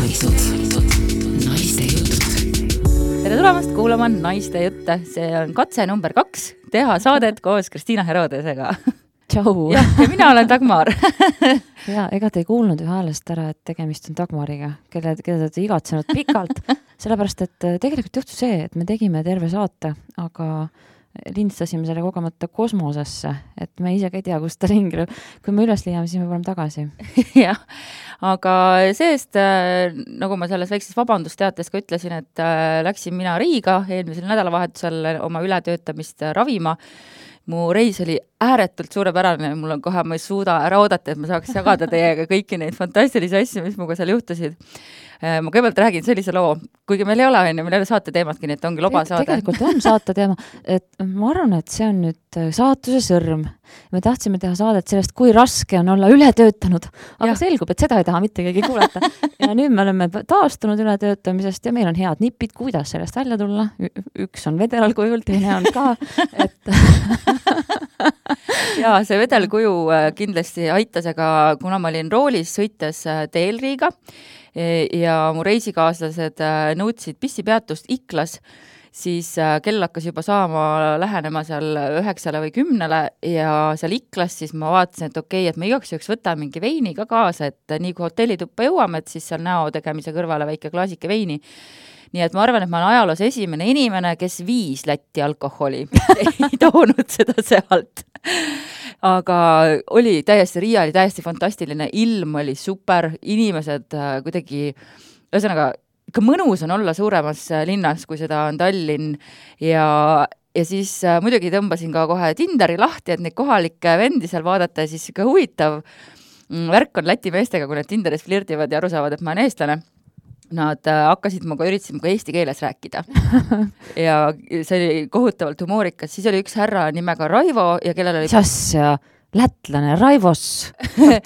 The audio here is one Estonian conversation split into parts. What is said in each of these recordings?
Naiste jutud. Tere tulemast kuulama Naiste jutte. See on katse number 2 teha saadet koos Kristiina Herodesega. Tšau! Ja mina olen Dagmar. Ja, ega te ei kuulnud ju häälest ära, et tegemist on Dagmariga, keda te olete igatsenud pikalt, sellepärast, et tegelikult juhtus see, et me tegime terve saate, aga lindstasime selle kogemata kosmosesse, et me ise ka ei tea, kus ta ringi. Kui me üles leiame, siis me paneme tagasi. Jah, aga seest, nagu ma selles väikses vabandusteates ka ütlesin, et läksin mina Riiga eelmisel nädalavahetusel oma ületöötamist ravima. Mu reis oli ääretult suurepärane, mul on kohe, ma ei suuda ära oodata, et ma saaks jagada teiega kõiki neid fantastilisi asju, mis muga seal juhtusid. Ma kõigepealt räägin sellise loo, kuigi meil ei ole, meil ei ole saate teemadki, nii et ongi loba saade. Tegelikult on saate teema, et ma arvan, et see on nüüd saatuse sõrm. Me tahtsime teha saadet sellest, kui raske on olla ületöötanud, aga selgub, et seda ei taha mitte keegi kuulata. Ja nüüd me oleme taastunud ületöötamisest ja meil on head nipid, kuidas sellest välja tulla. Üks on vedelalkujul, teine on ka. Ja see vedelkuju kindlasti aitas, aga kuna ma olin roolis sõites teel Riiga ja mu reisikaaslased nõudsid pissipeatust Iklas, siis kell hakkas juba saama lähenema seal 9 või 10 ja seal Iklas siis ma vaatasin, et okei, et me igaks juhuks võtame mingi veini ka kaasa, et nii kui hotellituppa jõuame, et siis seal näo tegemise kõrvale väike klaasike veini. Nii et ma arvan, et ma olen ajaloos esimene inimene, kes 5 Lätti alkoholi, ei toonud seda sealt. Aga oli täiesti, Riia oli täiesti fantastiline, ilm oli super, inimesed kuidagi, ühesõnaga, ikka mõnus on olla suuremas linnas, kui seda on Tallinn ja siis muidugi tõmbasin ka kohe Tinderi lahti, et neid kohalikke vendi seal vaadata ja siis ikka huvitav värk on Läti meestega, kui nad Tinderis flirtivad ja aru saavad, et ma olen eestlane. Nad hakkasid üritasid eesti keeles rääkida ja see oli kohutavalt humoorikas. Siis oli üks härra nimega Raivo ja kellel oli... Sassia, lätlane, Raivos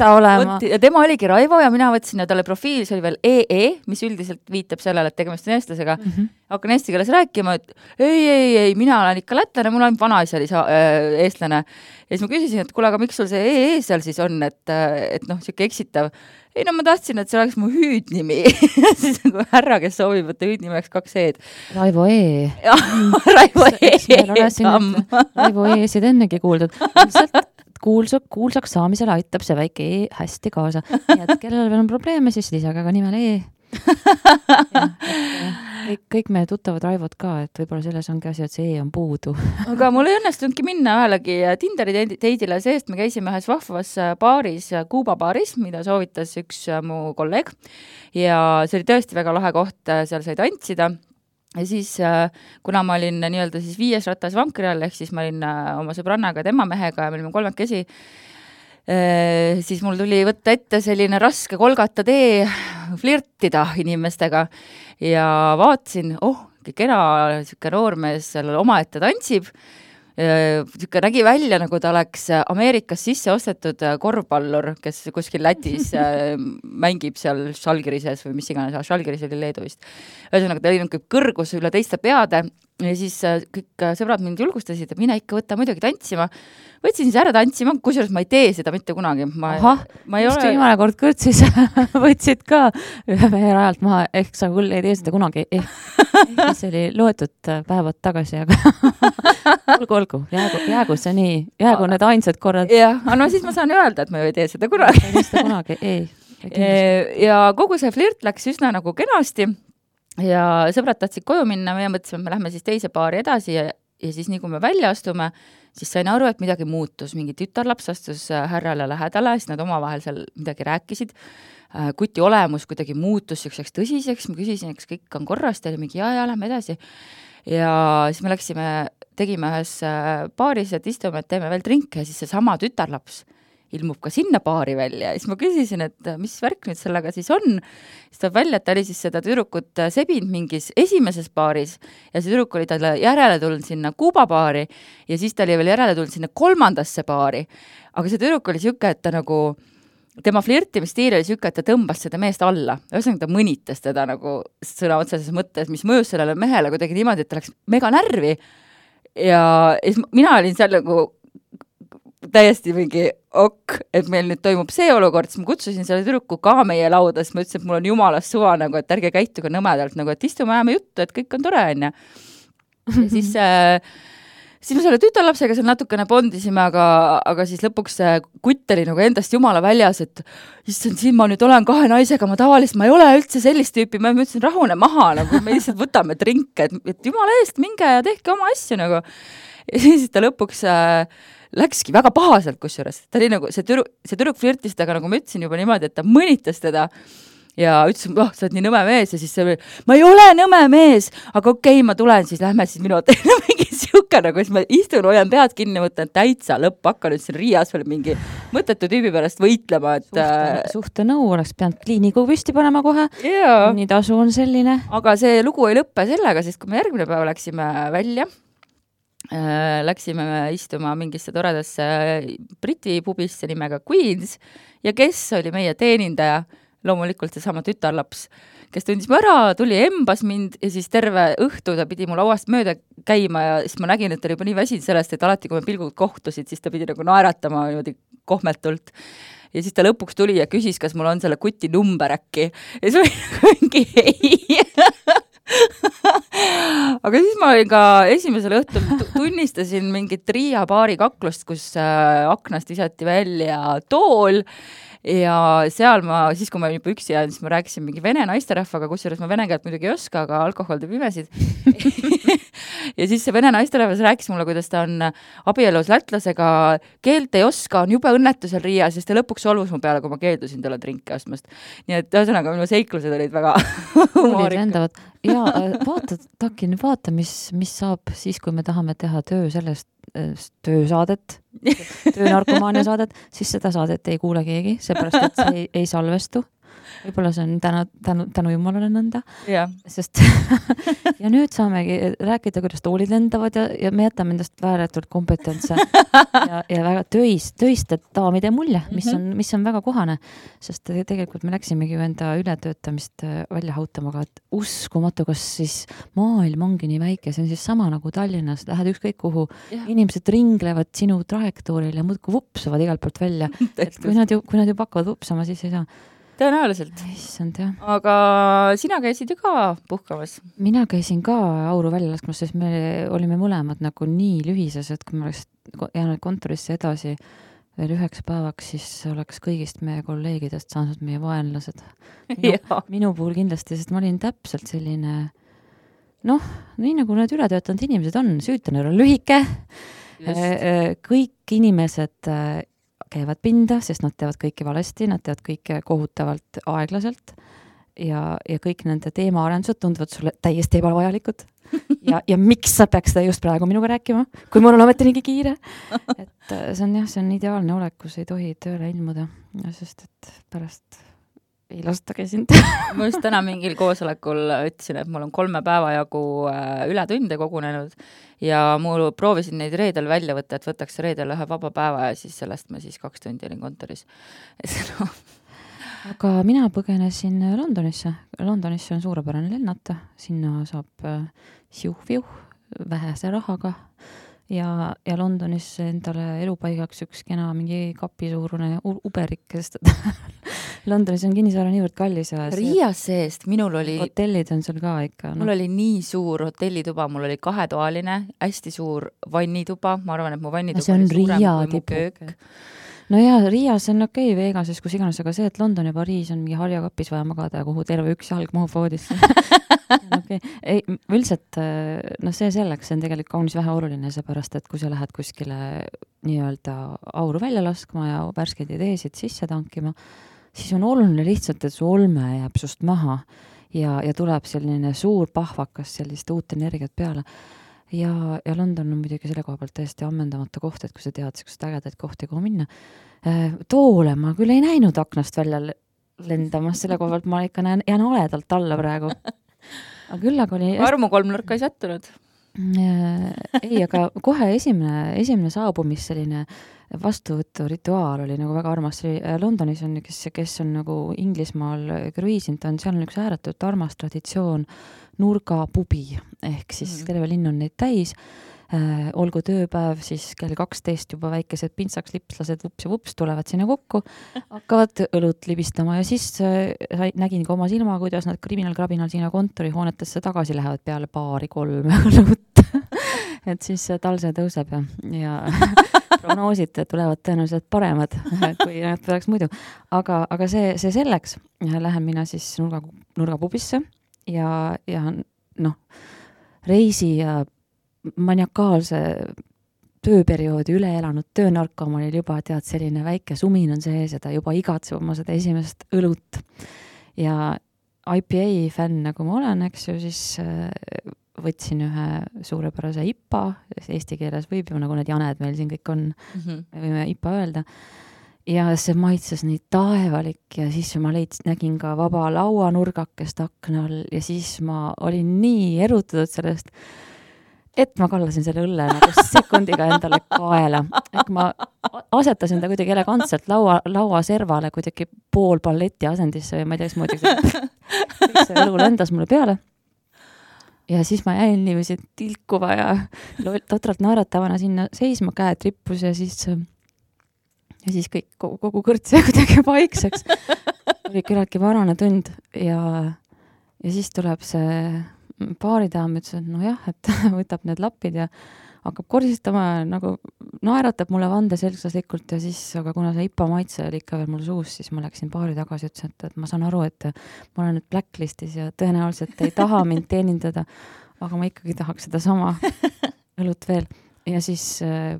ta olema. Ja tema oligi Raivo ja mina võtsin ja talle profiil, see oli veel EE, mis üldiselt viitab sellele, et tegemist on eestlasega. Hakkan eesti keeles rääkima, et ei, mina olen ikka lätlane, mul on vanaisa oli eestlane. Ja siis ma küsisin, et kuule, aga miks sul see EE seal siis on, et siuke eksitav. Ei, ma tahtsin, et see oleks mu hüüdnimi. Siis nagu härra, kes soovib, võtta hüüdnimeks 2 E-d. Raivo E. Raivo E. Raivo E-sid ennegi kuuldud. Kuulsaks saamisele aitab see väike E hästi kaasa. Nii et kellel veel on probleeme, siis lisage ka nimel E. Kõik meie tuttavad Raivod ka, et võib-olla selles ongi asi, et see E on puudu. Aga mul ei õnnestunudki minna ühelegi Tinderi teidile, seest me käisime ühes vahvas baaris, Kuuba baaris, mida soovitas üks mu kolleeg ja see oli tõesti väga lahe koht, seal sai tantsida. Ja siis, kuna ma olin nii-öelda siis 5 ratas vankri all, ehk siis ma olin oma sõbrannaga ja tema mehega ja me olime 3 siis mul tuli võtta ette selline raske kolgata tee flirtida inimestega ja vaatasin, kena siuke noormees seal omaette tantsib, siuke nägi välja, nagu ta oleks Ameerikas sisse ostetud korvpallur, kes kuskil Lätis mängib seal Žalgirises või mis iganes, Žalgiris oli Leedu vist. Ühesõnaga, ta oli kõrgus üle teiste peade ja siis kõik sõbrad mind julgustasid, et mine ikka võtta muidugi tantsima. Võtsin siis ära tantsima, kusjuures ma ei tee seda mitte kunagi. Just viimane kord kõrtsis võtsid ka ühe mehe rajalt maha, ehk sa küll ei tee seda kunagi. See oli loetud päevad tagasi, aga olgu, jäägu see nii, jäägu need ainsad korrad. Jah, no siis ma saan öelda, et ma ei tee seda kunagi. Ja kogu see flirt läks üsna nagu kenasti ja sõbrad tahtsid koju minna, me mõtlesime, et me lähme siis teise paari edasi ja siis nii kui me välja astume, siis sain aru, et midagi muutus. Mingi tütarlaps astus härrale lähedale, siis nad omavahel seal midagi rääkisid. Kuti olemus kuidagi muutus selliseks tõsiseks. Ma küsisin, kas kõik on korras, teile mingi ja, lähme edasi. Ja siis me läksime, tegime ühes paaris, et istume, et teeme veel drinke ja siis see sama tütarlaps ilmub ka sinna paari välja. Ja siis ma küsisin, et mis värk nüüd sellega siis on. Siis tuleb välja, et ta oli siis seda tüdrukut sebinud mingis esimeses paaris ja see tüdruk oli talle järele tulnud sinna Kuuba paari ja siis ta oli veel järele tulnud sinna 3. paari. Aga see tüdruk oli siuke, et ta nagu, tema flirtimisstiil oli siuke, et ta tõmbas seda meest alla. Ühesõnaga ta mõnitas teda nagu sõna otseses mõttes, mis mõjus sellele mehele kuidagi niimoodi, et ta läks mega närvi. Ja mina olin seal nagu täiesti mingi, et meil nüüd toimub see olukord, siis ma kutsusin selle tüdruku ka meie lauda, siis ma ütlesin, et mul on jumalast suva nagu, et ärge käituge nõmedalt nagu, et istume ajame juttu, et kõik on tore, onju. Ja siis me selle tütarlapsega seal natukene bondisime, aga siis lõpuks see kutt oli nagu endast jumala väljas, et issand, siin ma nüüd olen 2 naisega, ma tavaliselt, ma ei ole üldse sellist tüüpi, ma ütlesin, rahune maha, nagu me lihtsalt võtame drinke, et jumala eest, minge ja tehke oma asju nagu. Ja siis ta lõpuks läkski väga pahaselt kusjuures. Ta oli nagu, see tüdruk flirtis temaga, nagu ma ütlesin juba niimoodi, et ta mõnitas teda ja ütlesin, sa oled nii nõme mees ja siis see oli, ma ei ole nõme mees, aga okei, ma tulen, siis lähme siis minu mingi siuke nagu, siis ma istun, hoian pead kinni, mõtlen täitsa lõpp, hakka nüüd siin Riias veel mingi mõttetu tüübi pärast võitlema, et suhte nõu oleks pidanud kliiniku püsti panema kohe, nii tasu on selline. Aga see lugu ei lõppe sellega, sest kui me järgmine päev läksime välja, läksime istuma mingisse toredasse Briti pubisse nimega Queens ja kes oli meie teenindaja? Loomulikult see sama tütarlaps, kes tundis mu ära, tuli embas mind ja siis terve õhtu ta pidi mu lauast mööda käima ja siis ma nägin, et ta oli juba nii väsinud sellest, et alati, kui me pilgud kohtusid, siis ta pidi nagu naeratama niimoodi kohmetult. Ja siis ta lõpuks tuli ja küsis, kas mul on selle kuti number äkki. Ja siis oli nagu mingi ei. Aga siis ma olin ka esimesel õhtul tunnistasin mingit Riia baari kaklust, kus aknast visati välja tool ja seal ma, siis kui ma juba üksi jään, siis ma rääkisin mingi vene naisterahvaga, kusjuures ma vene keelt muidugi ei oska, aga alkohol teeb imesid. Ja siis see vene naisterahvas rääkis mulle, kuidas ta on abielus lätlasega, keelt ei oska, on jube õnnetusel Riias, sest ta lõpuks solvus mu peale, kui ma keeldusin talle drinki ostmast. Nii et ühesõnaga minu seiklused olid väga humoorikad. Ja vaata, mis saab siis, kui me tahame teha töösaadet, töönarkomaania saadet, siis seda saadet ei kuule keegi, seepärast, et see ei salvestu. Võib-olla see on tänu jumalale nõnda. Sest ja nüüd saamegi rääkida, kuidas toolid lendavad ja me jätame endast vääretult kompetentse ja väga töiste daamide mulje, mis on väga kohane. Sest tegelikult me läksimegi ju enda ületöötamist välja hautama, et uskumatu, kas siis maailm ongi nii väike, see on siis sama nagu Tallinnas, lähed ükskõik kuhu, inimesed ringlevad sinu trajektooril ja muudku vupsavad igalt poolt välja. Et kui nad ju hakkavad vupsama, siis ei saa. Tõenäoliselt. Issand, jah. Aga sina käisid ju ka puhkamas? Mina käisin ka auru välja laskmas, sest me olime mõlemad nagu nii lühises, et kui me oleks jäänud kontorisse edasi veel 9 päevaks, siis oleks kõigist meie kolleegidest saanud meie vaenlased. Minu puhul kindlasti, sest ma olin täpselt selline, nii nagu need ületöötanud inimesed on, süütanöör on lühike, kõik inimesed käivad pinda, sest nad teevad kõike valesti, nad teevad kõike kohutavalt aeglaselt ja kõik nende teemaarendused tunduvad sulle täiesti ebavajalikud. Ja miks sa peaks seda just praegu minuga rääkima, kui mul on ometi niigi kiire? Et see on ideaalne olek, kus ei tohi tööle ilmuda, sest et pärast ei lastagi sind. Ma just täna mingil koosolekul ütlesin, et mul on 3 päeva jagu ületunde kogunenud ja mul proovisin neid reedel välja võtta, et võtaks reedel ühe vaba päeva ja siis sellest ma siis 2 tundi olin kontoris. Aga mina põgenesin Londonisse. Londonisse on suurepärane lennata. Sinna saab siuh-viuh vähese rahaga. Ja Londonis endale elupaigaks üks kena mingi kapisuurune uberik, sest Londonis on kinnisvara niivõrd kallis. Riias seest, minul oli... Hotellid on seal ka ikka. Mul oli nii suur hotellituba, mul oli 2-toaline, hästi suur vannituba. Ma arvan, et mu vannituba oli suurem kui mu köök. No ja Riias on okei, Vegases, kus iganes, aga see, et London ja Pariis on mingi harjakapis vaja magada ja kuhu terve üks jalg mahub voodisse. Okay. Ei, üldiselt, see selleks, see on tegelikult kaunis vähe oluline, seepärast, et kui sa lähed kuskile nii-öelda auru välja laskma ja värskeid ideesid sisse tankima, siis on oluline lihtsalt, et su olme jääb sust maha ja tuleb selline suur pahvakas sellist uut energiat peale. Ja London on muidugi selle koha pealt täiesti ammendamata koht, et kui sa tead sellised ägedaid kohti, kuhu minna. Toole ma küll ei näinud aknast välja lendamas, selle koha pealt ma ikka jään oledalt alla praegu. Aga küll aga oli... Armu 3 nurka ei sättunud? Ei, aga kohe esimene saabumis selline vastuvõttu rituaal oli nagu väga armas. Londonis on, kes on nagu Inglismaal kruiisinud, seal on üks ääretult armas traditsioon nurgapubi, ehk siis terve linn on neid täis. olgu tööpäev, siis kell 12 juba väikesed pintsaklipslased vups ja vups tulevad sinna kokku, hakkavad õlut libistama ja siis nägin ka oma silma, kuidas nad kriminal-krabinal sinna kontorihoonetesse tagasi lähevad peale 2-3 õlut. Et siis tal see tõuseb ja prognoosid tulevad tõenäoliselt paremad, kui nad tuleks muidu. Aga see selleks, lähen mina siis nurgapubisse ja reisi ja maniakaalse tööperioodi üle elanud töönarkomanil juba tead, selline väike sumin on sees ja ta juba igatseb oma seda esimest õlut. Ja IPA fänn, nagu ma olen, eks ju, siis võtsin ühe suurepärase IPA, eesti keeles võib ju, nagu need janed meil siin kõik on, me võime IPA öelda. Ja see maitses nii taevalik ja siis ma nägin ka vaba lauanurgakest akna all ja siis ma olin nii erutatud sellest, et ma kallasin selle õlle nagu sekundiga endale kaela. Ehk ma asetasin ta kuidagi elegantselt laua servale kuidagi pool balleti asendisse või ma ei tea, moodi kõik see õlu lendas mulle peale. Ja siis ma jäin niiviisi tilkuva ja totralt naeratavana sinna seisma, käed rippus ja siis kõik, kogu kõrts ja kuidagi paikseks. Oli küllaltki varane tund ja siis tuleb see baaridaam, ütles, et nojah, et võtab need lapid ja hakkab korisistama ja nagu naeratab mulle vande selglaslikult ja siis, aga kuna see IPA maitse oli ikka veel mul suus, siis ma läksin baari tagasi ja ütlesin, et ma saan aru, et ma olen nüüd blacklistis ja tõenäoliselt ei taha mind teenindada, aga ma ikkagi tahaks seda sama õlut veel. Ja siis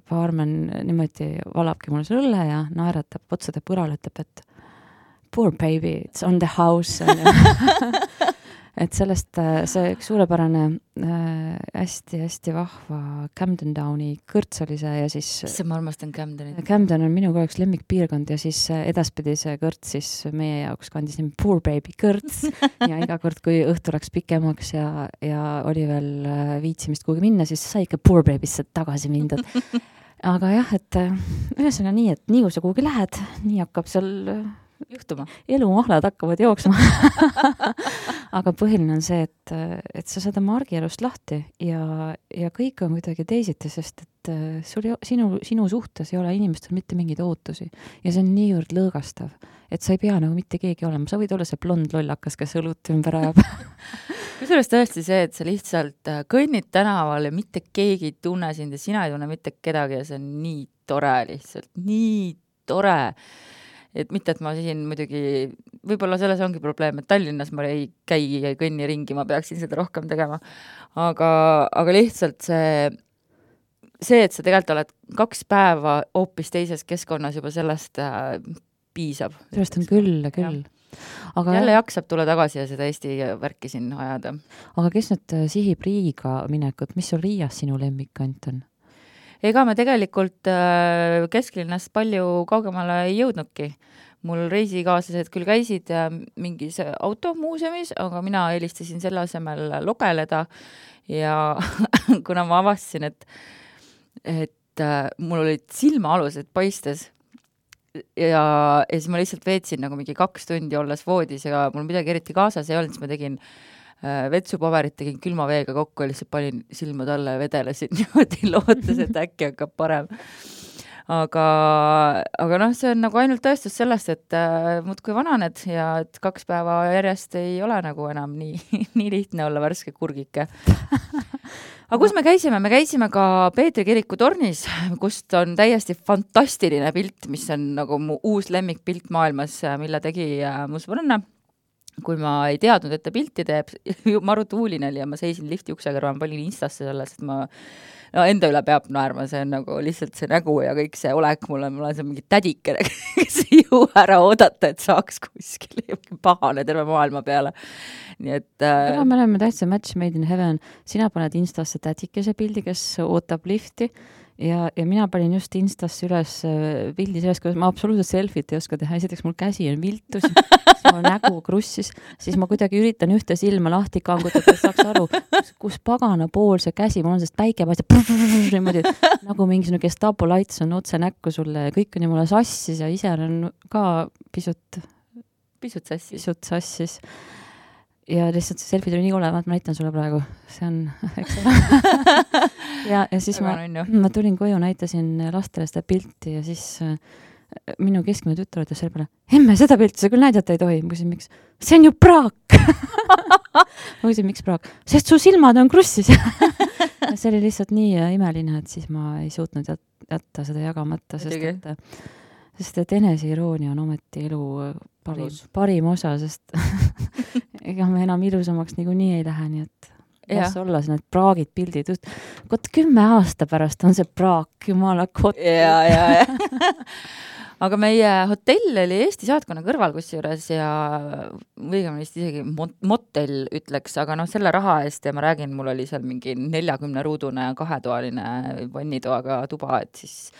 baarmen niimoodi valabki mulle selle õlle ja naeratab otsade põrale, ütleb, et poor baby, it's on the house. Et sellest see üks suurepärane hästi vahva Camden Downi kõrts oli see ja siis ma armastan Camdenit. Camden on minu üks lemmikpiirkond ja siis edaspidi see kõrts siis meie jaoks kandis nimi Poor Baby kõrts ja iga kord, kui õhtu läks pikemaks ja oli veel viitsimist kuhugi minna, siis sai ikka Poor Baby'sse tagasi mindud. Aga jah, et ühesõnaga nii, et nii kui sa kuhugi lähed, nii hakkab seal juhtuma. Elumahlad hakkavad jooksma. Aga põhiline on see, et sa saad oma argielust lahti ja kõik on kuidagi teisiti, sest et sinu suhtes ei ole inimestel mitte mingeid ootusi ja see on niivõrd lõõgastav, et sa ei pea nagu mitte keegi olema. Sa võid olla see blond lollakas, kes õlut ümber ajab. Kusjuures tõesti see, et sa lihtsalt kõnnid tänaval ja mitte keegi ei tunne sind ja sina ei tunne mitte kedagi ja see on nii tore lihtsalt, nii tore. Et mitte, et ma siin muidugi, võib-olla selles ongi probleem, et Tallinnas ma ei käi ja kõnni ringi, ma peaksin seda rohkem tegema. Aga lihtsalt see, et sa tegelikult oled 2 päeva hoopis teises keskkonnas juba sellest piisab. Sellest on küll. Aga jälle jaksab tulla tagasi ja seda Eesti värki siin ajada. Aga kes nüüd sihib Riiga minekut? Mis sul Riias sinu lemmikant on? Ega me tegelikult kesklinnast palju kaugemale ei jõudnudki. Mul reisikaaslased küll käisid mingis automuuseumis, aga mina eelistasin selle asemel logeleda ja kuna ma avastasin, et mul olid silmaalused paistes ja siis ma lihtsalt veetsin nagu mingi 2 tundi olles voodis ja mul midagi eriti kaasas ei olnud, siis ma tegin vetsupaberit, tegin külma veega kokku ja lihtsalt panin silmad alla ja vedelesin niimoodi lootes, et äkki hakkab parem. Aga see on nagu ainult tõestus sellest, et muudkui vananed ja et 2 päeva järjest ei ole nagu enam nii lihtne olla värske kurgike. Aga kus me käisime? Me käisime ka Peetri kiriku tornis, kust on täiesti fantastiline pilt, mis on nagu mu uus lemmikpilt maailmas, mille tegi mu sõbranna. Kui ma ei teadnud, et ta pilti teeb, maru tuuline oli ja ma seisin lifti ukse kõrval, ma panin Instasse selles, et ma enda üle peab naerma, see on nagu lihtsalt see nägu ja kõik see olek mul on see mingi tädikene, kes ei jõua ära oodata, et saaks kuskil pahane terve maailma peale. Nii et... Aga me oleme täitsa match made in heaven. Sina paned Instasse tädikese pildi, kes ootab lifti ja mina panin just Instasse üles pildi sellest, kuidas ma absoluutselt selfit ei oska teha. Esiteks mul käsi on viltus, siis mul nägu krussis, siis ma kuidagi üritan ühte silma lahti kangutada, et saaks aru, kus pagana pool see käsi, mul on sest päike paistab niimoodi, nagu mingisugune Gestapo laits on otse näkku sulle ja kõik on ju mulle sassis ja ise on ka pisut sassis. Ja lihtsalt see selfie tuli nii olevat, ma näitan sulle praegu. See on, eks ole. ja siis ma tulin koju, näitasin lastele seda pilti ja siis minu keskmine tütar ütles selle peale, emme, seda pilti sa küll näidata ei tohi. Ma küsin, miks? See on ju praak. Ma küsin, miks praak? Sest su silmad on krussis. See oli lihtsalt nii imeline, et siis ma ei suutnud jätta seda jagamata, sest et eneseiroonia on ometi elu parim osa, sest ega me enam ilusamaks niikuinii ei lähe, nii et las olla need praagid pildid. Kot 10 aasta pärast on see praak, jumala kot. Ja. Aga meie hotell oli Eesti saatkonna kõrval kusjuures ja õigemini isegi motel ütleks, aga selle raha eest ja ma räägin, mul oli seal mingi 40-ruudune 2-toaline vannitoaga tuba, et siis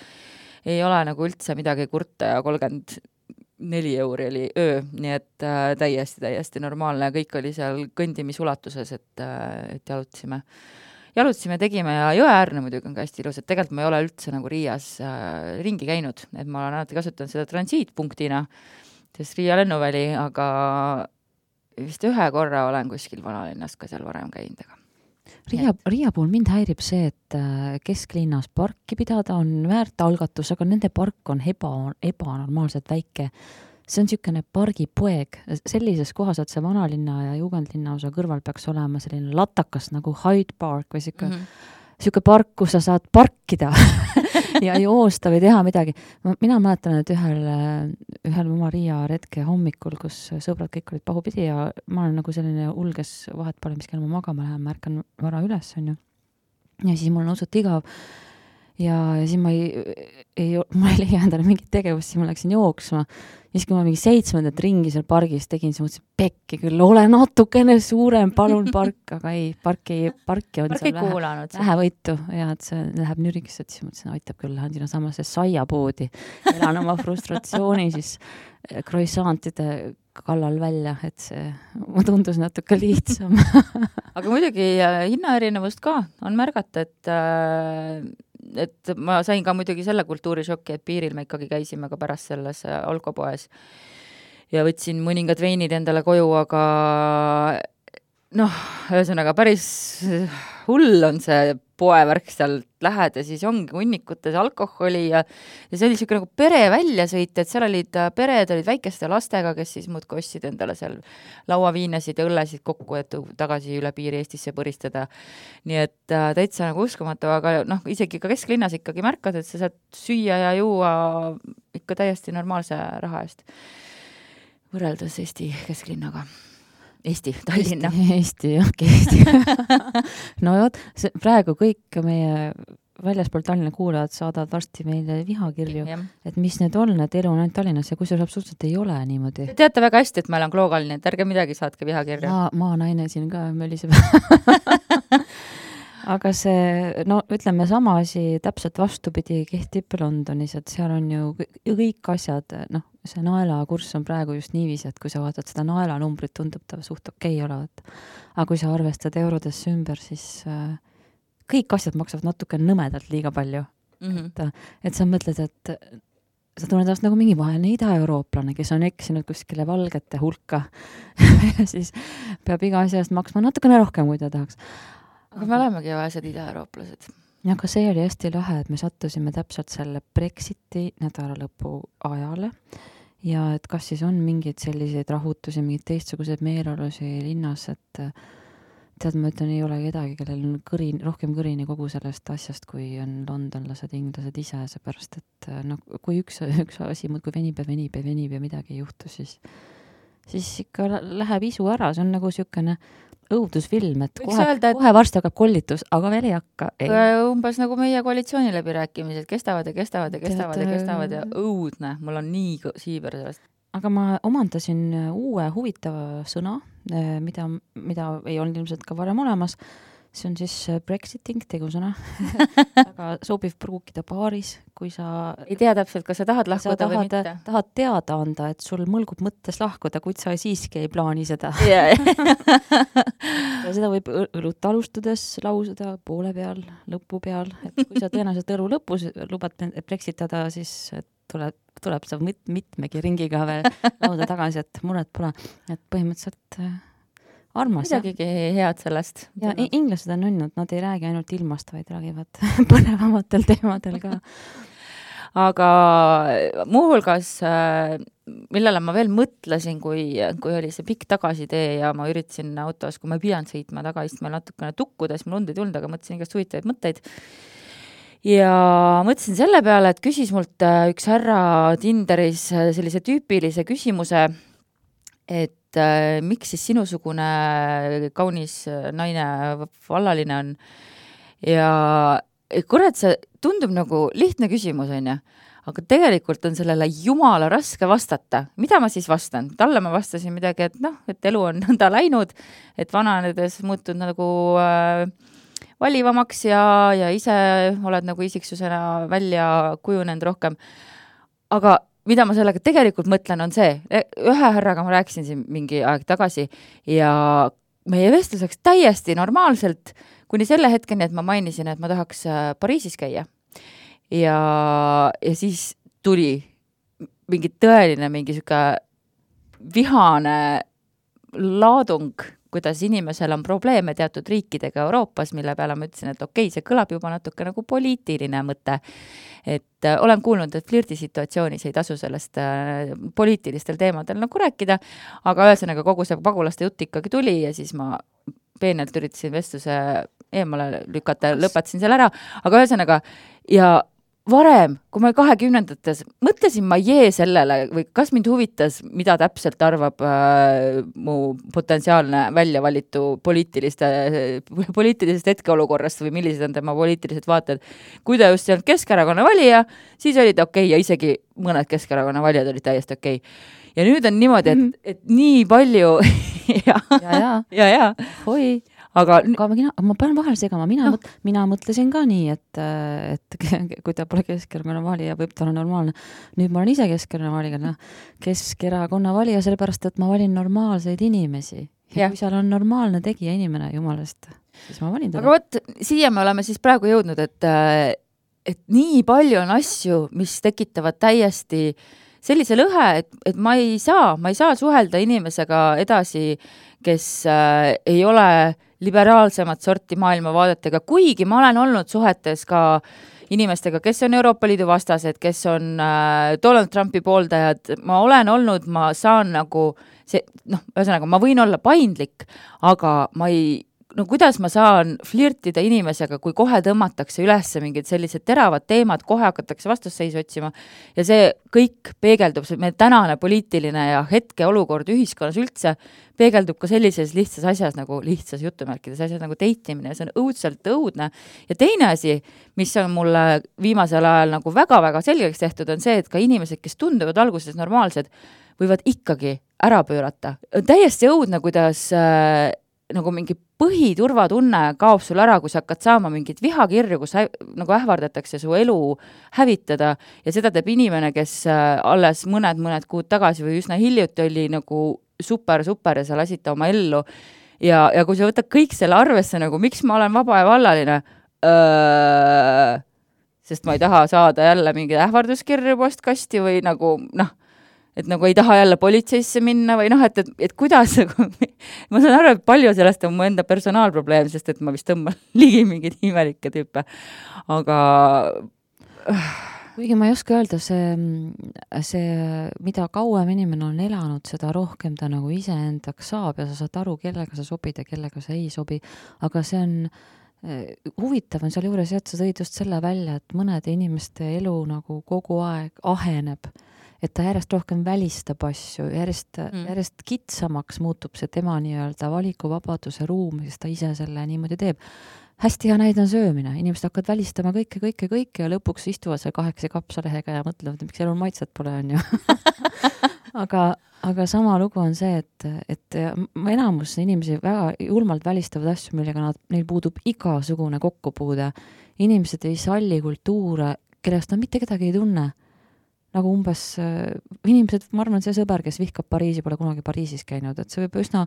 ei ole nagu üldse midagi kurta ja 34 euri oli öö, nii et täiesti normaalne, kõik oli seal kõndimisulatuses, et jalutasime, tegime ja Jõeäärne muidugi on ka hästi ilus, et tegelikult ma ei ole üldse nagu Riias ringi käinud, et ma olen alati kasutanud seda transiitpunktina, sest Riia lennuväli, aga vist ühe korra olen kuskil vanalinnas ka seal varem käinud. Riia puhul mind häirib see, et kesklinnas parki pidada on väärt algatus, aga nende park on ebanormaalselt väike. See on niisugune pargipoeg. Sellises kohas, et see vanalinna ja jugendlinna osa kõrval peaks olema selline latakas nagu Hyde Park või siuke park, kus sa saad parkida ja joosta või teha midagi. Mina mäletan, et ühel oma Riia retke hommikul, kus sõbrad kõik olid pahupidi ja ma olen nagu selline ulges vahet pole, mis kell ma magama lähen, märkan vara üles, on ju. Ja siis mul on usut igav ja siis ma ei leia endale mingit tegevust, siis ma läksin jooksma. Ja siis, kui ma mingi 7. ringi seal pargis tegin, siis mõtlesin, pekki küll, ole natukene suurem, palun park, aga ei, parki on seal vähe võitu ja et see läheb nüriks, et siis mõtlesin, aitab küll, lähen sinna samasse saiapoodi, elan oma frustratsiooni siis croissantide kallal välja, et see tundus natuke lihtsam. Aga muidugi hinnaerinevust ka on märgata, et ma sain ka muidugi selle kultuurišokki, et piiril me ikkagi käisime ka pärast selles alkopoes ja võtsin mõningad veinid endale koju, aga ühesõnaga päris hull on see poevärk seal lähed ja siis ongi hunnikutes alkoholi ja see oli niisugune nagu pere väljasõit, et seal pered olid väikeste lastega, kes siis muudkui ostsid endale seal lauaviinesid ja õllesid kokku, et tagasi üle piiri Eestisse põristada. Nii et täitsa nagu uskumatu, aga isegi ka kesklinnas ikkagi märkad, et sa saad süüa ja juua ikka täiesti normaalse raha eest võrreldes Eesti kesklinnaga. Eesti, Tallinna. Eesti. No jot, praegu kõik meie väljaspool Tallinna kuulajad saadavad varsti meile vihakirju, et mis need on, et elu on ainult Tallinnas ja kusjuures absoluutselt ei ole niimoodi. Te teate väga hästi, et ma olen Klookalni, et ärge midagi saatke vihakirja. Maa naine siin ka möliseb. Aga see, ütleme sama asi täpselt vastupidi kehtib Londonis, et seal on ju kõik asjad, see naelakurss on praegu just niiviisi, et kui sa vaatad seda naelanumbrit, tundub ta suht okei olevat. Aga kui sa arvestad eurodesse ümber, siis kõik asjad maksavad natuke nõmedalt liiga palju. Et sa mõtled, et sa tunned ennast nagu mingi vaene ida-eurooplane, kes on eksinud kuskile valgete hulka ja siis peab iga asja eest maksma natukene rohkem, kui ta tahaks. Aga me olemegi vaesed ida-eurooplased. Ja aga see oli hästi lahe, et me sattusime täpselt selle Brexiti nädalalõpu ajale ja et kas siis on mingeid selliseid rahutusi, mingid teistsuguseid meeleolusi linnas, et tead, ma ütlen, ei ole kedagi, kellel on rohkem kõrini kogu sellest asjast, kui on londonlased, inglased ise, seepärast, et kui üks asi muudkui venib ja midagi ei juhtu, siis ikka läheb isu ära, see on nagu niisugune õudusfilm, et kohe varsti hakkab kollitus, aga veel ei hakka. Umbes nagu meie koalitsiooniläbirääkimised kestavad ja õudne, mul on nii siiber sellest. Aga ma omandasin uue huvitava sõna, mida ei olnud ilmselt ka varem olemas. See on siis Brexiting, tegusõna. Aga sobib pruukida baaris, kui sa ei tea täpselt, kas sa tahad lahkuda või mitte. Tahad teada anda, et sul mõlgub mõttes lahkuda, kuid sa siiski ei plaani seda. Ja seda võib õlut alustades lausuda poole peal, lõpu peal. Et kui sa tõenäoliselt õlu lõpus lubad brexitada, siis tuleb sa mitmegi ringiga veel lauda tagasi, et muret pole. Et põhimõtteliselt armas. midagigi head sellest. Ja inglased on õnnud, nad ei räägi ainult ilmast, vaid räägivad põnevamatel teemadel ka. Aga muuhulgas, millele ma veel mõtlesin, kui oli see pikk tagasitee ja ma üritasin autos, kui ma ei pidanud sõitma tagaistmel natukene tukkudes, mul und ei tulnud, aga mõtlesin igast huvitavaid mõtteid. Ja mõtlesin selle peale, et küsis mult üks härra Tinderis sellise tüüpilise küsimuse, et miks siis sinusugune kaunis naine vallaline on. Ja kurat, see tundub nagu lihtne küsimus, on ju, aga tegelikult on sellele jumala raske vastata. Mida ma siis vastan? Talle ma vastasin midagi, et elu on nõnda läinud, et vananedes muutud nagu valivamaks ja ise oled nagu isiksusena välja kujunenud rohkem. Aga mida ma sellega tegelikult mõtlen, on see, ühe härraga ma rääkisin siin mingi aeg tagasi ja meie vestlus läks täiesti normaalselt, kuni selle hetkeni, et ma mainisin, et ma tahaks Pariisis käia. Ja siis tuli mingi tõeline, mingi siuke vihane laadung, kuidas inimesel on probleeme teatud riikidega Euroopas, mille peale ma ütlesin, et okei, see kõlab juba natuke nagu poliitiline mõte. Et olen kuulnud, et flirtisituatsioonis ei tasu sellest poliitilistel teemadel nagu rääkida, aga ühesõnaga kogu see pagulaste jutt ikkagi tuli ja siis ma peenelt üritasin vestluse eemale lükata, lõpetasin selle ära, aga ühesõnaga, ja varem, kui ma 20-ndates mõtlesin ma sellele või kas mind huvitas, mida täpselt arvab mu potentsiaalne väljavalitu poliitilisest hetkeolukorrast või millised on tema poliitilised vaated. Kui ta just ei olnud Keskerakonna valija, siis olid okei ja isegi mõned Keskerakonna valijad olid täiesti okei. Ja nüüd on niimoodi, et nii palju ja. Hoi. Aga ma pean vahel segama, mina mõtlesin ka nii, et kui ta pole Keskerakonna valija, võib ta olla normaalne. Nüüd ma olen ise Keskerakonna valija, Keskerakonna valija, sellepärast, et ma valin normaalseid inimesi. Ja kui seal on normaalne tegija inimene, jumalast, siis ma valin teda. Aga võt, siia me oleme siis praegu jõudnud, et nii palju on asju, mis tekitavad täiesti sellise lõhe, et ma ei saa suhelda inimesega edasi, kes ei ole liberaalsemat sorti maailmavaadetega, kuigi ma olen olnud suhetes ka inimestega, kes on Euroopa Liidu vastased, kes on Donald Trumpi pooldajad, ma olen olnud, ma saan nagu see, ühesõnaga, ma võin olla paindlik, aga kuidas ma saan flirtida inimesega, kui kohe tõmmatakse üles mingid sellised teravad teemad, kohe hakatakse vastusseisu otsima ja see kõik peegeldub, meie tänane poliitiline ja hetke olukord ühiskonnas üldse peegeldub ka sellises lihtsas asjas nagu lihtsas jutumärkides asjas nagu deitimine ja see on õudselt õudne. Ja teine asi, mis on mulle viimasel ajal nagu väga-väga selgeks tehtud, on see, et ka inimesed, kes tunduvad alguses normaalsed, võivad ikkagi ära pöörata. Täiesti õudne, kuidas nagu mingi põhiturvatunne kaob sul ära, kui sa hakkad saama mingit vihakirju, kus nagu ähvardatakse su elu hävitada ja seda teeb inimene, kes alles mõned kuud tagasi või üsna hiljuti oli nagu super ja sa lasid ta oma ellu ja kui sa võtad kõik selle arvesse nagu, miks ma olen vaba ja vallaline, sest ma ei taha saada jälle mingi ähvarduskirju postkasti või nagu et nagu ei taha jälle politseisse minna või et kuidas ma saan aru, et palju sellest on mu enda personaalprobleem, sest et ma vist tõmban ligi mingeid imelikke tüüpe, aga kuigi ma ei oska öelda, see mida kauem inimene on elanud, seda rohkem ta nagu iseendaks saab ja sa saad aru, kellega sa sobid ja kellega sa ei sobi, aga see on huvitav on seal juures, et sa tõid just selle välja, et mõnede inimeste elu nagu kogu aeg aheneb, et ta järjest rohkem välistab asju, järjest kitsamaks muutub see tema nii-öelda valikuvabaduse ruum, sest ta ise selle niimoodi teeb. Hästi hea näide on söömine, inimesed hakkavad välistama kõike ja lõpuks istuvad seal 8 kapsalehega ja mõtlevad, miks elul maitset pole, on ju. aga sama lugu on see, et enamus inimesi väga julmalt välistavad asju, millega neil puudub igasugune kokkupuude. Inimesed ei salli kultuure, kellest nad mitte kedagi ei tunne. Nagu umbes inimesed, ma arvan, see sõber, kes vihkab Pariisi, pole kunagi Pariisis käinud, et see võib üsna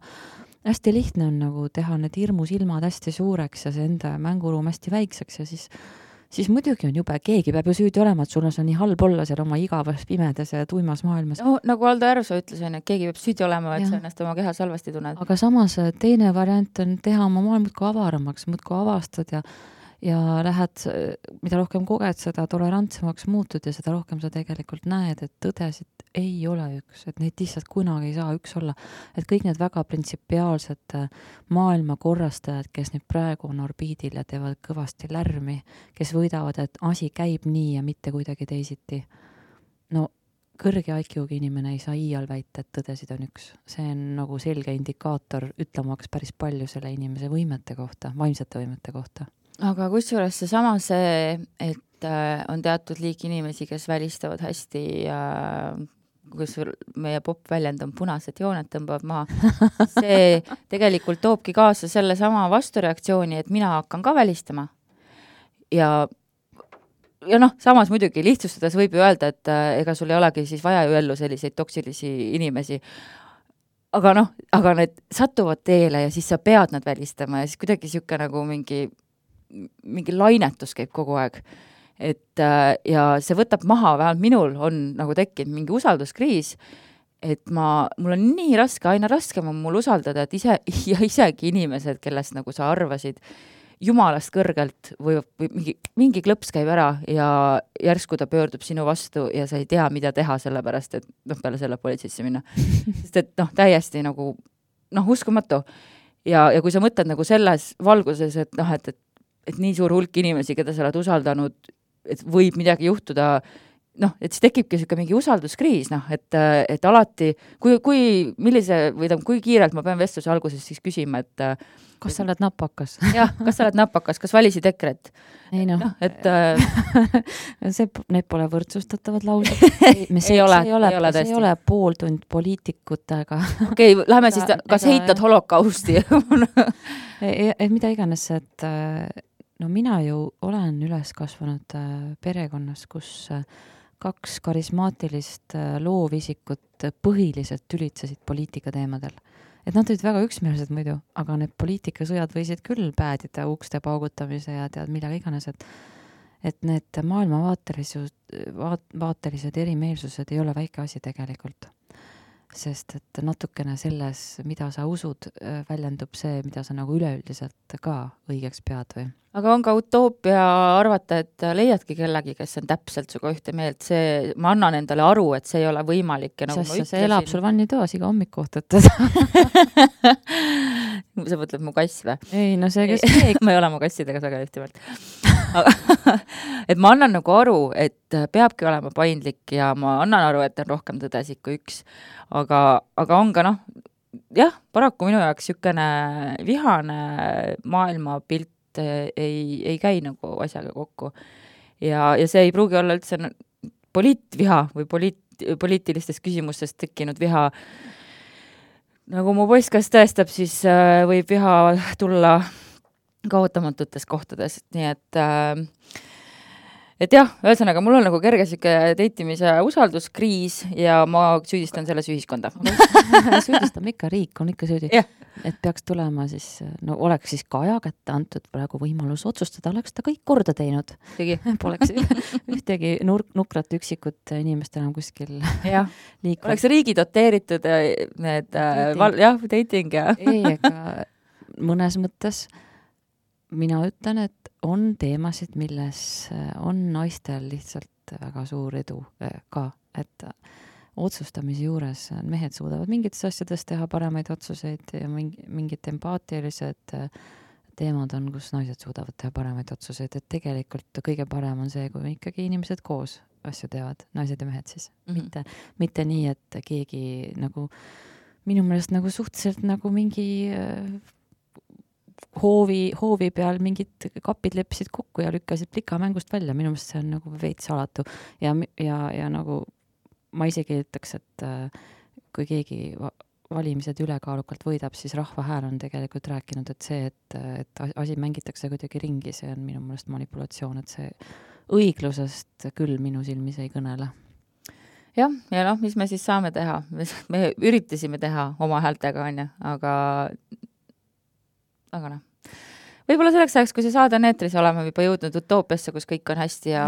hästi lihtne on nagu teha need hirmus ilmad hästi suureks ja see enda mänguruum hästi väikseks ja siis siis muidugi on jube, keegi peab ju süüdi olema, et sul on nii halb olla seal oma igavas pimedas ja tuimas maailmas. No, nagu Aldo Järvsoo ütles, et keegi peab süüdi olema, et sa ennast oma kehas halvasti tunned. Aga samas teine variant on teha oma maailm muudkui avaramaks, muudkui avastad ja lähed, mida rohkem koged, seda tolerantsemaks muutud ja seda rohkem sa tegelikult näed, et tõdesid ei ole üks, et neid lihtsalt kunagi ei saa üks olla. Et kõik need väga printsipiaalsed maailma korrastajad, kes nüüd praegu on orbiidil ja teevad kõvasti lärmi, kes võidavad, et asi käib nii ja mitte kuidagi teisiti. No kõrge IQ-ga inimene ei saa iial väita, et tõdesid on üks. See on nagu selge indikaator ütlemaks päris palju selle inimese võimete kohta, vaimsete võimete kohta. Aga kusjuures see, et on teatud liik inimesi, kes välistavad hästi, kus meie popp-väljend on punased jooned tõmbavad maha, see tegelikult toobki kaasa selle sama vastureaktsiooni, et mina hakkan ka välistama. Ja samas muidugi lihtsustades võib ju öelda, et ega sul ei olegi siis vaja ju ellu selliseid toksilisi inimesi. Aga need satuvad teele ja siis sa pead nad välistama ja siis kuidagi siuke nagu mingi lainetus käib kogu aeg. Ja see võtab maha, vähemalt minul on nagu tekkinud mingi usalduskriis, et mul on nii raske, aina raskem on mul usaldada, et isegi inimesed, kellest nagu sa arvasid jumalast kõrgelt või mingi klõps käib ära ja järsku ta pöördub sinu vastu ja sa ei tea, mida teha, sellepärast, et peale selle politseisse minna. Sest et täiesti nagu uskumatu. Ja kui sa mõtled nagu selles valguses, et nii suur hulk inimesi, keda sa oled usaldanud, et võib midagi juhtuda, et siis tekibki siuke mingi usalduskriis, et alati, kui kiirelt ma pean vestluse alguses siis küsima, et kas sa oled napakas? Jah, kas sa oled napakas, kas valisid EKRE-t? Ei et need pole võrdsustatavad laused. See ei ole pooltund poliitikutega. Okei, läheme siis, kas heitad holokausti? Mida iganes, et mina ju olen üles kasvanud perekonnas, kus 2 karismaatilist loovisikut põhiliselt tülitsesid poliitika teemadel. Et nad olid väga üksmeelsed muidu, aga need poliitikasõjad võisid küll päädida ukste paugutamise ja tead millega iganes, et need maailmavaatelised erimeelsused ei ole väike asi tegelikult. Sest et natukene selles, mida sa usud, väljendub see, mida sa nagu üleüldiselt ka õigeks pead või. Aga on ka utoopia arvata, et leiadki kellegi, kes on täpselt suga ühte meelt. Ma annan endale aru, et see ei ole võimalik. Ja nagu see elab sul vannitoas iga hommikuht, et sa mõtled mu kass või? Ei, see kes ma ei ole mu kassidega väga ühte meelt. Et ma annan nagu aru, et peabki olema paindlik ja ma annan aru, et on rohkem tõdesid kui üks. Aga on ka paraku minu jaoks sükene vihane maailmapilt ei käi nagu asjaga kokku. Ja see ei pruugi olla üldse poliitviha või poliitilistest küsimustest tekkinud viha. Nagu mu poiskas tõestab, siis võib viha tulla kaotamatutes kohtades. Nii et jah, ühesõnaga, mul on nagu kerge siuke teitimise usalduskriis ja ma süüdistan selles ühiskonda. Süüdistame ikka, riik on ikka süüdi. Yeah. Et peaks tulema siis, oleks siis Kaja kätte antud praegu võimalus otsustada, oleks ta kõik korda teinud. Poleks ühtegi nukrat üksikut inimest enam kuskil liikvad. Oleks riigi doteeritud dating ja. Ei, ega mõnes mõttes mina ütlen, et on teemasid, milles on naistel lihtsalt väga suur edu ka, et otsustamise juures mehed suudavad mingites asjades teha paremaid otsuseid ja mingid empaatilised teemad on, kus naised suudavad teha paremaid otsuseid, et tegelikult kõige parem on see, kui ikkagi inimesed koos asju teevad, naised ja mehed siis. Mitte nii, et keegi nagu minu meelest nagu suhteliselt nagu mingi hoovi peal mingid kapid leppisid kokku ja lükkasid plika mängust välja. Minu meelest see on nagu veits alatu. Ja nagu ma isegi ütleks, et kui keegi valimised ülekaalukalt võidab, siis Rahva Hääl on tegelikult rääkinud, et see, et asi mängitakse kuidagi ringi, see on minu meelest manipulatsioon, et see õiglusest küll minu silmis ei kõnele. Ja mis me siis saame teha? Me üritasime teha oma häältega, aga võib-olla selleks ajaks, kui see saade on eetris, oleme juba jõudnud utoopiasse, kus kõik on hästi ja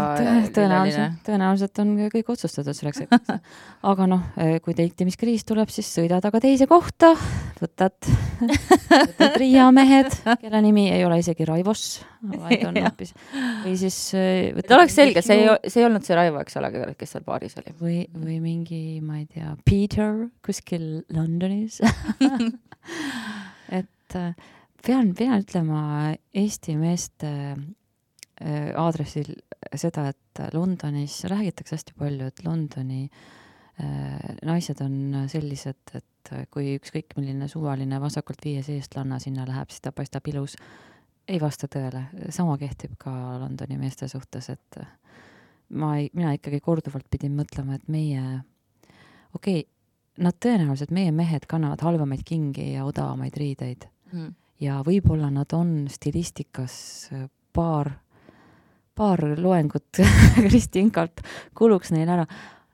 tõenäoliselt on kõik otsustatud selleks hetkeks. Aga noh, kui teikimiskriis tuleb, siis sõidad aga teise kohta, võtad Riia mehed, kelle nimi ei ole isegi Raivos, vaid on hoopis. Või siis... oleks selge, see ei olnud see Raivo, eks ole, kes seal baaris oli. Või mingi, ma ei tea, Peter kuskil Londonis. Et... Pean ütlema Eesti meeste aadressil seda, et Londonis räägitakse hästi palju, et Londoni naised on sellised, et kui ükskõik milline suvaline vasakult viies eestlanna sinna läheb, siis ta paistab ilus. Ei vasta tõele. Sama kehtib ka Londoni meeste suhtes, et mina ikkagi korduvalt pidin mõtlema, et meie, nad tõenäoliselt, meie mehed kannavad halvamaid kingi ja odavamaid riideid. Ja võib-olla nad on stilistikas paar loengut Kristi Inkalt kuluks neil ära,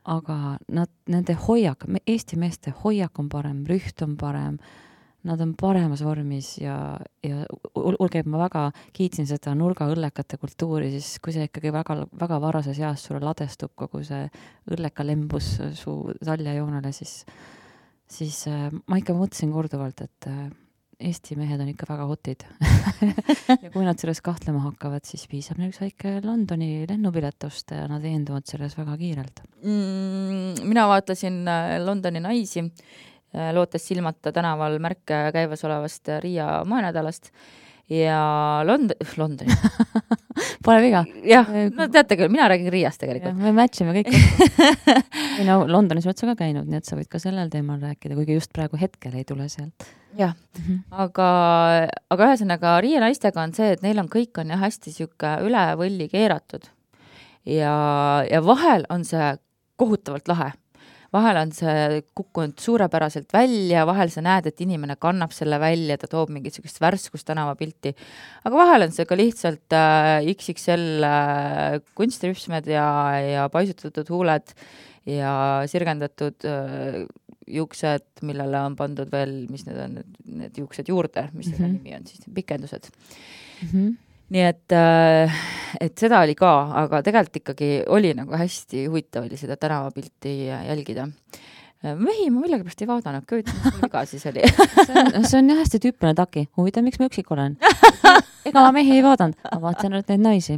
aga nende hoiak, Eesti meeste hoiak on parem, rüht on parem, nad on paremas vormis ja olge, ma väga kiitsin seda nurgaõllekate kultuuri, siis kui see ikkagi väga, väga varases eas sulle ladestub kogu see õlleka lembus su taljajoonele, siis ma ikka mõtlesin korduvalt, et Eesti mehed on ikka väga hotid. Ja kui nad selles kahtlema hakkavad, siis piisab neil üks väike Londoni lennupiletust ja nad veenduvad selles väga kiirelt. Mina vaatasin Londoni naisi, lootes silmata tänaval märke käivas olevast Riia moenädalast ja Londoni. Pole viga. Jah, no teate küll, mina räägin Riiast tegelikult. Ja, me matchime kõik. Londonis oled sa ka käinud, nii et sa võid ka sellel teemal rääkida, kuigi just praegu hetkel ei tule sealt. Jah, aga ühesõnaga Riia naistega on see, et neil on kõik on jah hästi siuke üle võlli keeratud ja vahel on see kohutavalt lahe. Vahel on see kukkunud suurepäraselt välja, vahel sa näed, et inimene kannab selle välja, ta toob mingit sellist värskust tänavapilti. Aga vahel on see ka lihtsalt XXL kunstrüpsmed ja paisutatud huuled ja sirgendatud juuksed, millele on pandud veel, mis need on, need juuksed juurde, mis selle nimi on siis, pikendused. Nii et seda oli ka, aga tegelikult ikkagi oli nagu hästi huvitav oli seda tänavapilti jälgida. Mehi ma millegipärast ei vaadanud, kõivitan, mis mul viga siis oli. See on jah hästi tüüpine taki. Huvitav, miks ma üksik olen? Ega ma mehi ei vaadanud, ma vaatan neid naisi.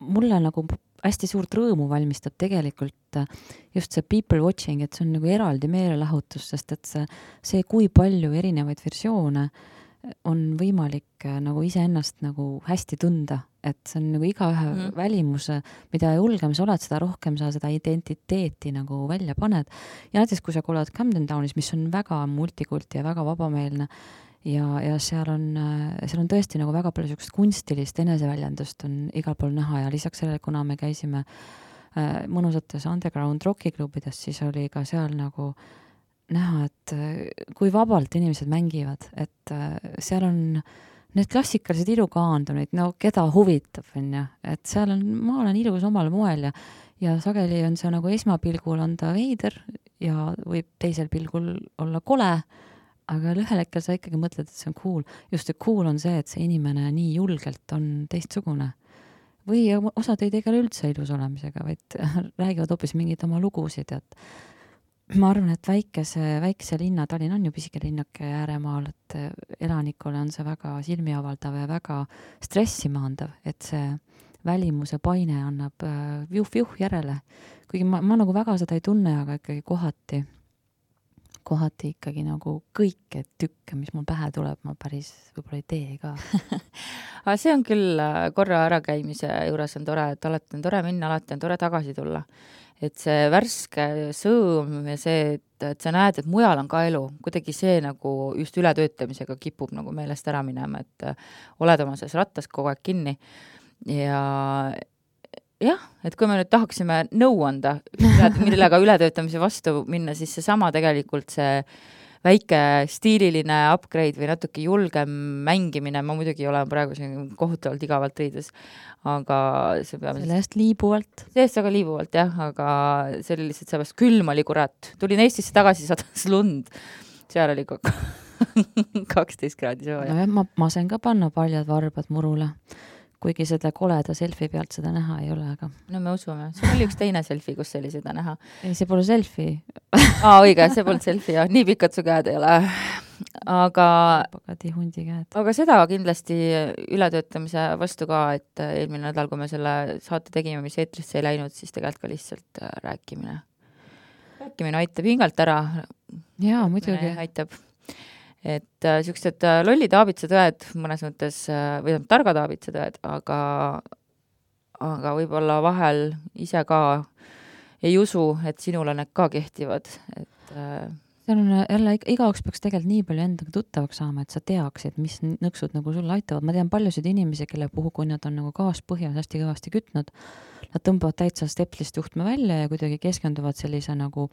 Mulle nagu hästi suurt rõõmu valmistab tegelikult just see people watching, et see on nagu eraldi meelelahutus, sest et see kui palju erinevaid versioone on võimalik nagu iseennast nagu hästi tunda, et see on nagu igaühe välimuse, mida julgem sa oled, seda rohkem sa seda identiteeti nagu välja paned. Ja näiteks, kui sa oled Camden Townis, mis on väga multikulti ja väga vabameelne, ja seal on tõesti nagu väga palju sellist kunstilist eneseväljendust on igal pool näha ja lisaks sellele, kuna me käisime mõnusates underground rockiklubides, siis oli ka seal nagu näha, et kui vabalt inimesed mängivad, et seal on need klassikalised ilukaandunid, no keda huvitab, et seal ma olen ilus omal moel ja sageli on see nagu esmapilgul on ta veider ja võib teisel pilgul olla kole, aga ühel hetkel sa ikkagi mõtled, et see on cool. Just see cool on see, et see inimene nii julgelt on teistsugune. Või osad ei tegele üldse ilus olemisega, vaid räägivad hoopis mingid oma lugusid. Et ma arvan, et väikese linna, Tallinn on ju pisike linnake ääremaal, et elanikule on see väga silmiavaldav ja väga stressimaandav, et see välimuse paine annab juh järele. Kuigi ma nagu väga seda ei tunne, aga ikkagi kohati ikkagi nagu kõike tükke, mis mul pähe tuleb, ma päris võib-olla ei tee ka. Aga see on küll korra ärakäimise juures on tore, et alati on tore minna, alati on tore tagasi tulla. Et see värske sõõm ja see, et sa näed, et mujal on ka elu, kuidagi see nagu just ületöötamisega kipub nagu meelest ära minema, et oled oma selles rattas kogu aeg kinni ja jah, et kui me nüüd tahaksime nõu anda, millega ületöötamise vastu minna, siis seesama tegelikult see väike stiililine upgrade või natuke julgem mängimine, ma muidugi olen praegu siin kohutavalt igavalt riides, aga see peab... Sellest liibuvalt. Sellest väga liibuvalt, jah, aga see oli lihtsalt seepärast külm oli kurat. Tulin Eestisse tagasi, sadas lund. Seal oli 12 kraadi sooja. No, ma sain ka panna paljad varbad murule, kuigi seda koleda selfie pealt seda näha ei ole, aga... No me usume. Sul oli üks teine selfie, kus oli seda näha. Ei, see pole selfie. Õige, see polnud selfie, jah. Nii pikad su käed ei ole. Aga hundi käed. Aga seda kindlasti ületöötamise vastu ka, et eelmine nädal, kui me selle saate tegime, mis eetrisse ei läinud, siis tegelikult ka lihtsalt rääkimine. Rääkimine aitab hingalt ära. Jaa, muidugi. Aitab. Et siuksed lollid aabitsetõed mõnes mõttes, või targad aabitsetõed, aga võib-olla vahel ise ka ei usu, et sinule need ka kehtivad. Et see on jälle, igaüks peaks tegelikult nii palju endaga tuttavaks saama, et sa teaksid, mis nõksud nagu sulle aitavad. Ma tean paljusid inimesi, kelle puhul, kui nad on nagu gaaspõhjas hästi kõvasti kütnud, nad tõmbavad täitsa stepslist juhtme välja ja kuidagi keskenduvad sellise nagu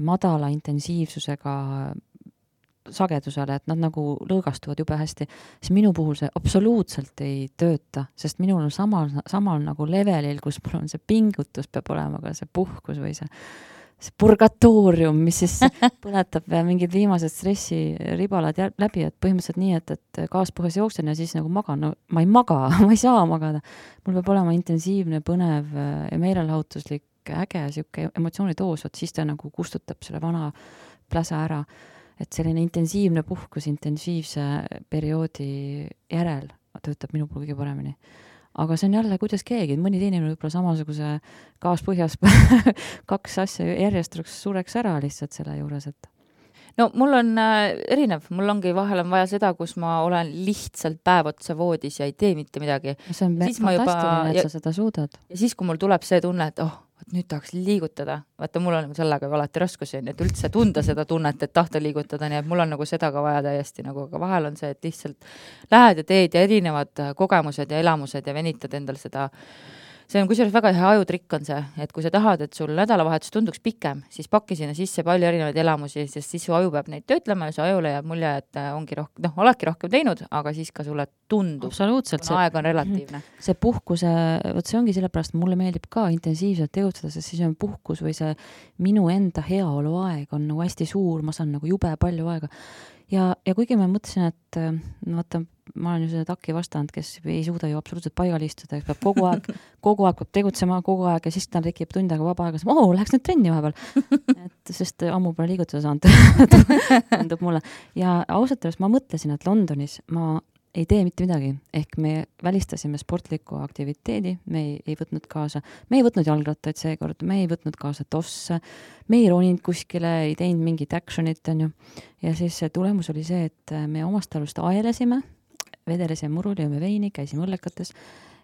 madala intensiivsusega sagedusele, et nad nagu lõõgastuvad jube hästi. Siis minu puhul see absoluutselt ei tööta, sest minul on samal nagu levelil, kus mul on see pingutus peab olema ka see puhkus või see purgatoorium, mis siis põletab mingid viimased stressiribalad läbi, et põhimõtteliselt nii, et gaaspõhjas jooksen ja siis nagu magan. No, ma ei maga, ma ei saa magada. Mul peab olema intensiivne, põnev ja meelelahutuslik, äge, siuke emotsioonitoos, siis ta nagu kustutab selle vana pläsa ära. Et selline intensiivne puhkus intensiivse perioodi järel töötab minu puhul kõige paremini. Aga see on jälle, kuidas keegi, mõni teine võib-olla samasuguse gaaspõhjas 2 asja järjest sureks ära lihtsalt selle juures, et... No mul on erinev, mul ongi vahel on vaja seda, kus ma olen lihtsalt päev otsa voodis ja ei tee mitte midagi. See on fantastiline, et sa seda suudad. Ja siis, kui mul tuleb see tunne, et nüüd tahaks liigutada. Vaata, mul on sellega alati raskusi, et üldse tunda seda tunnet, et tahta liigutada, nii et mul on nagu seda ka vaja täiesti nagu, aga vahel on see, et lihtsalt lähed ja teed ja erinevad kogemused ja elamused ja venitad endal seda. See on kusjuures väga hea ajutrikk on see, et kui sa tahad, et sul nädalavahetus tunduks pikem, siis pakki sinna sisse palju erinevaid elamusi, sest siis su aju peab neid töötlema ja su ajule jääb mulje, et ongi rohkem, oledki rohkem teinud, aga siis ka sulle tundub. Absoluutselt. Aeg on relatiivne. See puhkuse, see ongi sellepärast, mulle meeldib ka intensiivselt tegutseda, sest siis on puhkus või see minu enda heaolu aeg on nagu hästi suur, ma saan nagu jube palju aega. Ja kuigi ma mõtlesin, et vaata, ma olen ju selle taki vastand, kes ei suuda ju absoluutselt paigal istuda, peab kogu aeg peab tegutsema kogu aeg ja siis ta tekib tund aega vaba aega, läheks nüüd trenni vahepeal. Sest ammu pole liigutada saanud, tundub mulle. Ja ausalt öeldes ma mõtlesin, et Londonis ma ei tee mitte midagi, ehk me välistasime sportliku aktiviteedi, me ei võtnud kaasa, me ei võtnud jalgrattaid seekord, me ei võtnud kaasa tosse, me ei roninud kuskile, ei teinud mingit actionit, on ju. Ja siis tulemus oli see, et me omast talust aelesime, vedelesime murul, jõime veini, käisime õllekates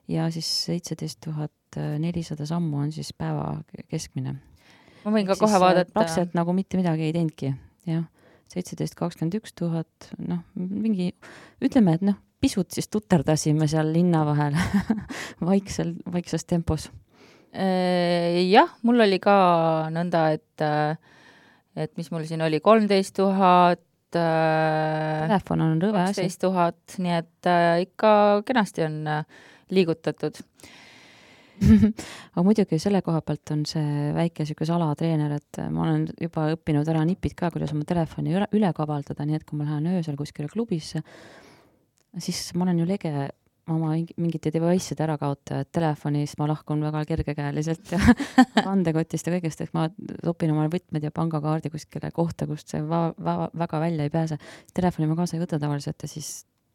ja siis 17,400 sammu on siis päeva keskmine. Ma võin ka kohe vaadata. Praktiliselt nagu mitte midagi ei teinudki, jah. 17,21 000, mingi, ütleme, et pisut siis tuterdasime seal linna vahel vaikses tempos. Jah, mul oli ka nõnda, et mis mul siin oli, 13 000, telefon on rõve asi. 12 000, nii et ikka kenasti on liigutatud. Aga muidugi selle koha pealt on see väike siuke salatreener, et ma olen juba õppinud ära nipid ka, kuidas oma telefoni üle kavaldada, nii et kui ma lähen öösel kuskile klubisse, siis ma olen ju lege oma mingite device'ide ära kaota, et telefonis ma lahkun väga kergekäeliselt ja andekotist ja kõigest, et ma topin oma võtmed ja pangakaardi kuskile kohta, kust see väga välja ei pääse. Telefoni ma kaasa ei võta tavaliselt ja siis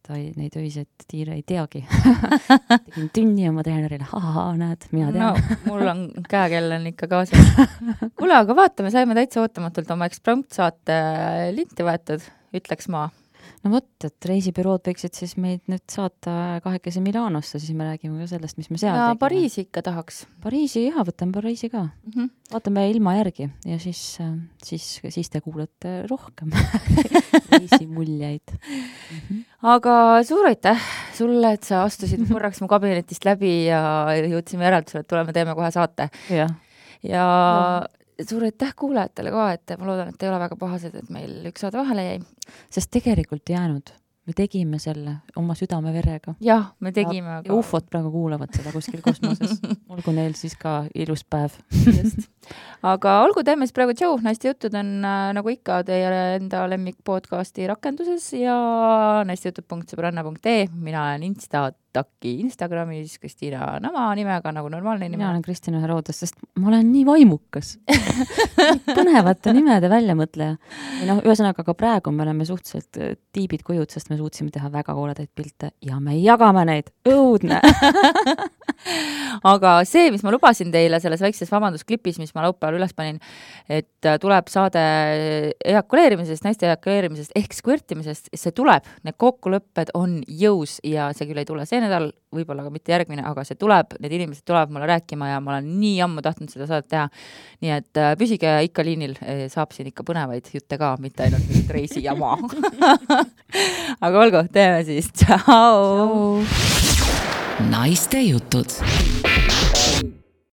ta neid öiseid tiire ei teagi. Tegin tunni oma treenerile, näed, mina tean. No, mul on käekell on ikka kaasas. Kuule, aga vaatame, saime täitsa ootamatult oma Eksprompt saate linti võetud, ütleks ma. No vot, et reisibürood võiksid siis meid nüüd saata 2 Milanosse, siis me räägime ka sellest, mis me seal tegime. Pariisi ikka tahaks. Pariisi, jah, võtame Pariisi ka. Vaatame ilma järgi ja siis te kuulete rohkem reisimuljeid. Aga suur aitäh sulle, et sa astusid korraks mu kabinetist läbi ja jõudsime järeldusele, et tuleme teeme kohe saate. Ja suur aitäh kuulajatele ka, et ma loodan, et ei ole väga pahased, et meil üks saade vahele jäi. Sest tegelikult jäänud. me tegime selle oma südameverega. jah, me tegime. Ja ufod praegu kuulavad seda kuskil kosmoses. Olgu neil siis ka ilus päev. Just. Aga olgu, teeme siis praegu Joe, naiste jutud on nagu ikka teie enda lemmik podcasti rakenduses ja naistejutud.sõbranna.ee. Mina olen Instataki Instagramis Kristiina Nama nimega nagu normaalne nime. Mina olen Kristina Herodes, sest ma olen nii vaimukas. Põnevate nimede väljamõtleja. Ja ühesõnaga ka praegu me oleme suhteliselt tiibid kujud, sest me suutsime teha väga kooledaid pilte ja me jagame neid. Õudne! Aga see, mis ma lubasin teile selles väikses vabandusklipis, mis ma laupäeval üles panin, et tuleb saade ejakuleerimisest, naiste ejakuleerimisest ehk skvõrtimisest, see tuleb, need kokkulõpped on jõus ja see küll ei tule see nädal, võib-olla ka mitte järgmine, aga see tuleb, need inimesed tulevad mulle rääkima ja ma olen nii ammu tahtnud seda saadet teha. Nii et püsige ikka liinil, saab siin ikka põnevaid jutte ka, mitte ainult mingit reisi jama. Aga olgu, teeme siis. Tšau! Naiste jutud.